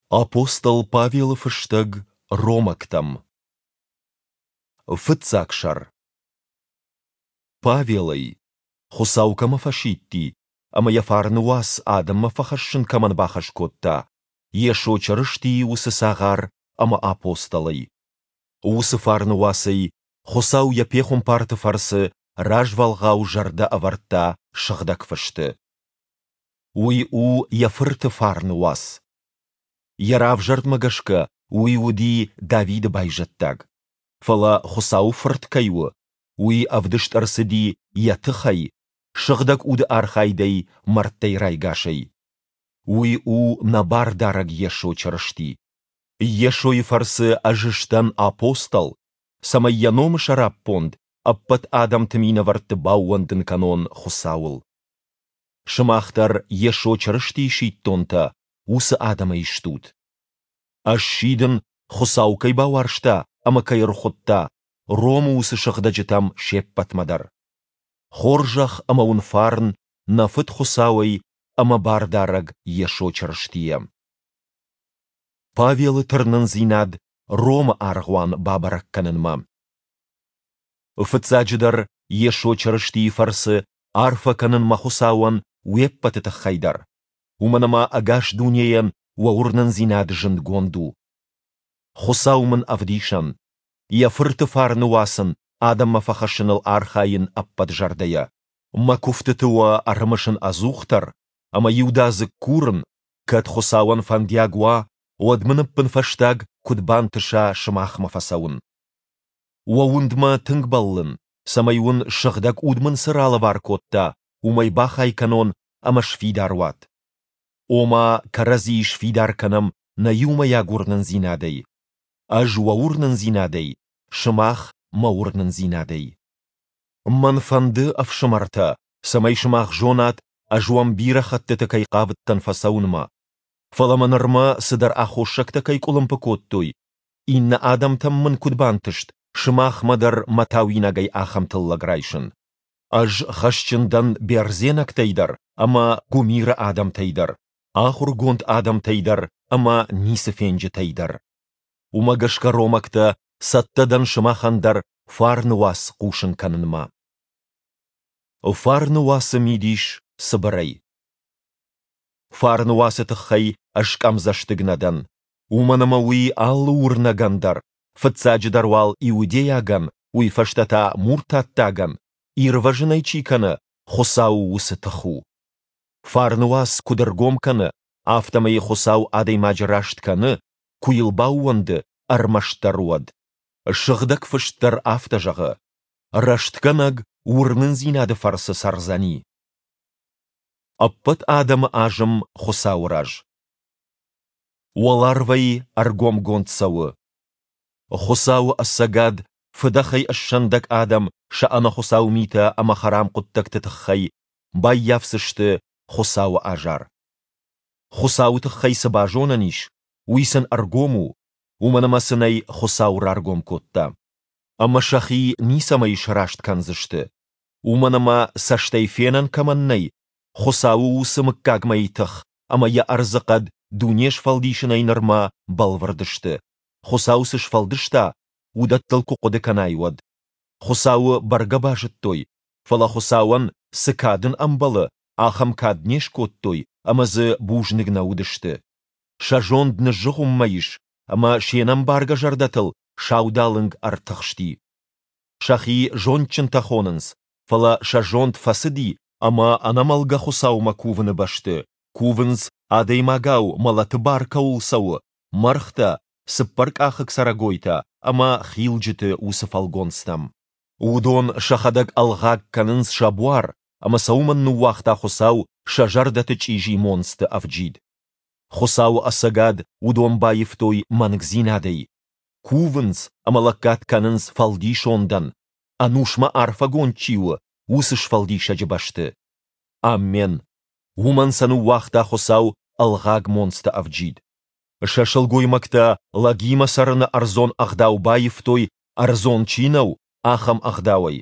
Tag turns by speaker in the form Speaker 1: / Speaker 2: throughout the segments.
Speaker 1: Апостол Павелы фыстӕг Ромӕгтӕм. Фыццаг сӕр. Павелӕй, Хуыцау кӕмӕ фӕсидти ӕмӕ йӕ фарны уац адӕммӕ фӕхӕссын кӕмӕн бахӕс кодта, Йесо Чырыстийы уыцы цагъар ӕмӕ апостолӕй. Уыцы фарны уацӕй Хуыцау йӕ пехуымпарты фӕрцы развӕлгъау зӕрдӕ ӕвӕрдта Сыгъдӕг Фысты. Уый у йӕ Фырты фарны уац. Йӕ равзӕрдмӕ гӕсгӕ уый уыди Давиды байзӕддаг. Фӕлӕ Хуыцауы Фырт кӕй у, уый ӕвдыст ӕрцыди йӕ тыхӕй, Сыгъдӕг Уды архайдӕй мӕрдтӕй райгасӕй. Уый у нӕ Бардарӕг Йесо Чырысти. Йесойы фӕрцы ӕз сдӕн апостол, цӕмӕй йӕ номы сӕраппонд ӕппӕт адӕмты минӕвӕртты баууӕндын кӕнон Хуыцауыл. Сымах дӕр Йесо Чырыстийы сидтонтӕ уыцы адӕмӕй стут. Ӕз сидын, Хуыцау кӕй бауарзта ӕмӕ кӕй ӕрхуыдта, Ромы уыцы сыгъдӕджытӕм се ппӕтмӕ дӕр. Хорзӕх ӕмӕ уын фарн нӕ Фыд Хуыцауӕй ӕмӕ Бардарӕг Йесо Чырыстийӕ. Павелы тырнындзинад Ромы аргъуан бабӕрӕг кӕнынмӕ. Фыццаджыдӕр, Йесо Чырыстийы фӕрцы арфӕ кӕнын мӕ Хуыцауӕн уе ппӕты тыххӕй дӕр, уымӕн ӕмӕ ӕгас дунейӕн уӕ уырнындзинад зындгонд у. Хуыцау мын ӕвдисӕн, Йӕ Фырты фарны уац ын адӕммӕ фӕхӕссыныл архайын ӕппӕт зӕрдӕйӕ. Мӕ куывтыты уӕ ӕрымысын ӕдзухдӕр ӕмӕ иудадзыг курын, кӕд Хуыцауӕн фӕндиаг уа, уӕд мын ӕппынфӕстаг куыд бантыса сымахмӕ фӕцӕуын. Уӕ уындмӕ тынг бӕллын, цӕмӕй уын Сыгъдӕг Уд мын цы ралӕвар кодта, уымӕй бахай кӕнон ӕмӕ сфидар уат. Ома кӕрӕдзийы сфидар кӕнӕм нӕ иумӕйаг уырнындзинадӕй. Ӕз уӕ уырнындзинадӕй, сымах мӕ уырнындзинадӕй. Мӕн фӕнды, ӕфсымӕртӕ, цӕмӕй сымах зонат, ӕз уӕм бирӕ хӕттыты кӕй хъавыдтӕн фӕцӕуынмӕ. Фӕлӕ мӕ нырмӕ цыдӕр аххосӕгтӕ кӕй къуылымпы кодтой, иннӕ адӕмтӕм мын куыд бантыст сымахмӕ дӕр мӕ тауинагӕй ахӕм тыллӕг райсын? Ӕз хӕсджын дӕн бердзенӕгтӕй дӕр ӕмӕ гуымиры адӕмтӕй дӕр, ахуыргонд адӕмтӕй дӕр ӕмӕ ницыфенджытӕй дӕр. Уымӕ гӕсгӕ ромӕгтӕ цӕттӕ дӕн сымахӕн дӕр фарны уац хъусын кӕнынмӕ. Фарны уацы мидис цыбырӕй. Фарны уацы тыххӕй ӕз къӕмдзӕстыг нӕ дӕн, уымӕн ӕмӕ уый алы уырнӕгӕн дӕр, фыццаджыдӕр уал иудейагӕн, уый фӕстӕ та муртаттагӕн, ирвӕзын ӕй чи кӕны, Хуыцауы уыцы тых у. Фарны уац куыд ӕргом кӕны, афтӕмӕй Хуыцау адӕймаджы раст кӕны, куы йыл баууӕнды, ӕрмӕстдӕр уӕд. Сыгъдӕг Фыст дӕр афтӕ зӕгъы: Рӕстгӕнӕг уырнындзинады фӕрцы цӕрдзӕни. Ӕппӕт адӕмы азым Хуыцауы раз. Уӕларвӕй ӕргомгонд цӕуы. Хуыцауы ӕцӕгад фыдӕхӕй ссӕндӕг адӕм сӕ ӕнӕхуыцау митӕ ӕмӕ хӕрам хъуыддӕгты тыххӕй баййафдзысты Хуыцауы азар. Хуыцауы тыххӕй цы базонӕн ис, уый сын ӕргом у, уымӕн ӕмӕ сын ӕй Хуыцау раргом кодта. Ӕмӕ сӕхи ницӕмӕй сраст кӕндзысты, уымӕн ӕмӕ цӕстӕй фенӕн кӕмӕн нӕй, Хуыцауы уыцы мыггагмӕйы тых ӕмӕ йӕ ӕрдзыхъӕд дуне сфӕлдисынӕй нырмӕ бӕлвырд сты, Хуыцау цы сфӕлдыста, уыдӕттыл куы хъуыды кӕнай, уӕд. Хуыцауы бӕргӕ базыдтой, фӕлӕ Хуыцауӕн, цы кад ын ӕмбӕлы, ахӕм кад не скодтой ӕмӕ дзы бузныг нӕ уыдысты. Сӕ зонд ныззыгъуыммӕ ис ӕмӕ се нӕмбаргӕ зӕрдӕтыл саудалынг ӕртыхсти. Сӕхи зондджынтӕ хонынц, фӕлӕ сӕ зонд фӕцыди ӕмӕ ӕнӕмӕлгӕ Хуыцаумӕ кувыны бӕсты кувынц, адӕймагау мӕлӕты бар кӕуыл цӕуы, мӕргътӕ, цыппӕркъахыг цӕрӕгойтӕ ӕмӕ хилджыты уыцы фӕлгонцтӕм. Уыдон сӕхӕдӕг ӕлгъаг кӕнынц сӕ буар, ӕмӕ сӕ уымӕн ныууагъта Хуыцау сӕ зӕрдӕты чъизи монцты ӕвджид. Хуыцауы ӕцӕгад уыдон баивтой мӕнгдзинадӕй. Кувынц ӕмӕ лӕггад кӕнынц фӕлдисондӕн, ӕнусмӕ арфӕгонд чи у, уыцы Сфӕлдисӕджы бӕсты. Аммен. Уымӕн сӕ ныууагъта Хуыцау ӕлгъаг монцты ӕвджид. Сӕ сылгоймӕгтӕ лӕгимӕ цӕрыны ӕрдзон ӕгъдау баивтой, ӕрдзон чи нӕу, ахӕм ӕгъдауӕй.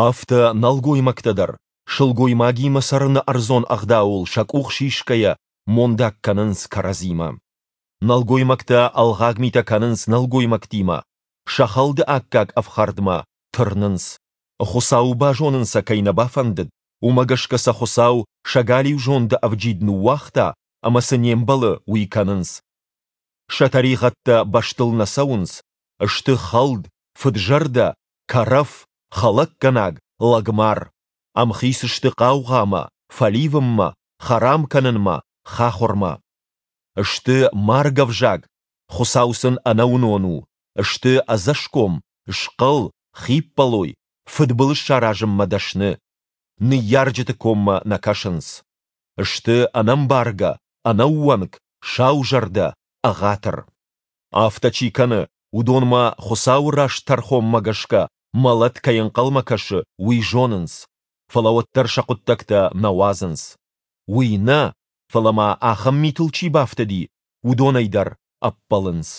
Speaker 1: Афтӕ нӕлгоймӕгтӕ дӕр, сылгоймагимӕ цӕрыны ӕрдзон ӕгъдауыл сӕ къух сисгӕйӕ, мондаг кӕнынц кӕрӕдзимӕ. Нӕлгоймӕгтӕ ӕлгъаг митӕ кӕнынц нӕлгоймӕгтимӕ, сӕ хӕлды аккаг ӕфхӕрдмӕ тырнынц. Хуыцауы базонын сӕ кӕй нӕ бафӕндыд, уымӕ гӕсгӕ сӕ Хуыцау сӕ галиу зонды ӕвджид ныууагъта ӕмӕ цы не мбӕлы, уый кӕнынц. Сӕ тӕригъӕдтӕ бӕстыл нӕ цӕуынц, сты хӕлд, фыдзӕрдӕ, кӕрӕф, хӕлӕггӕнаг, лӕгмар. Ӕмхиц сты хъаугъамӕ, фӕливынмӕ, хӕрам кӕнынмӕ, хахуырмӕ. Сты маргӕвзаг, Хуыцау сын ӕнӕуынон у, сты ӕдзӕсгом, схъӕл, хиппӕлой, фыдбылыз саразынмӕ дӕсны. Ныййарджыты коммӕ нӕ кӕсынц. Сты ӕнӕмбаргӕ, ӕнӕууӕнк, саузӕрдӕ, ӕгъатыр. Афтӕ чи кӕны, уыдонмӕ Хуыцауы раст тӕрхонмӕ гӕсгӕ мӕлӕт кӕй ӕнхъӕлмӕ кӕсы, уый зонынц, фӕлӕ уӕддӕр сӕ хъуыддӕгтӕ нӕ уадзынц. Уый нӕ, фӕлӕ ма ахӕм митыл чи бафтыди, уыдонӕй дӕр ӕппӕлынц.